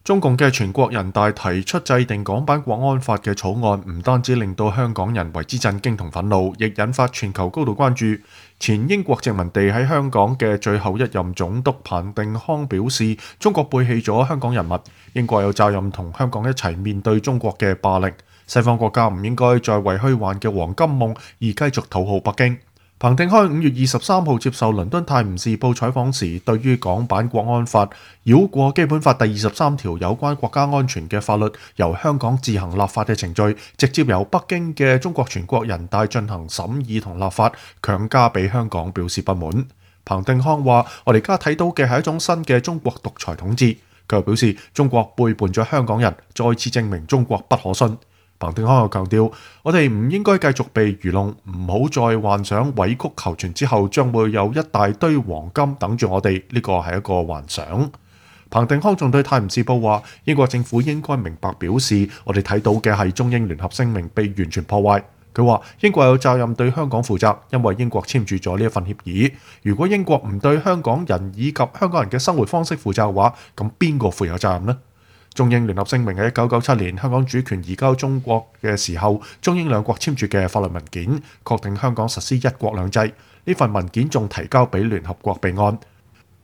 中共嘅全國人大提出制定港版國安法嘅草案，唔單止令到香港人為之震驚同憤怒，亦引發全球高度關注。前英國殖民地喺香港嘅最後一任總督彭定康表示，中國背棄咗香港人民，英國有責任同香港一齊面對中國嘅霸凌。西方國家唔應該再為虛幻嘅黃金夢而繼續討好北京。彭定康5月23號接受倫敦泰晤士報採訪時，對於港版國安法繞過基本法第23條有關國家安全嘅法律，由香港自行立法嘅程序，直接由北京嘅中國全國人大進行審議同立法，強加俾香港表示不滿。彭定康話：我哋而家睇到嘅係一種新嘅中國獨裁統治。佢又表示，中國背叛咗香港人，再次證明中國不可信。彭定康又強調，我哋唔應該繼續被愚弄，唔好再幻想委曲求全之後將會有一大堆黃金等住我哋，呢個係一個幻想。彭定康仲對泰晤士報話，英國政府應該明白表示，我哋睇到嘅係中英聯合聲明被完全破壞。佢話英國有責任對香港負責，因為英國簽署咗呢一份協議。如果英國唔對香港人以及香港人嘅生活方式負責嘅話，咁邊個負有責任呢？中英聯合聲明喺1997年香港主權移交中國嘅時候，中英兩國簽署嘅法律文件，確定香港實施一國兩制。呢份文件仲提交俾聯合國備案。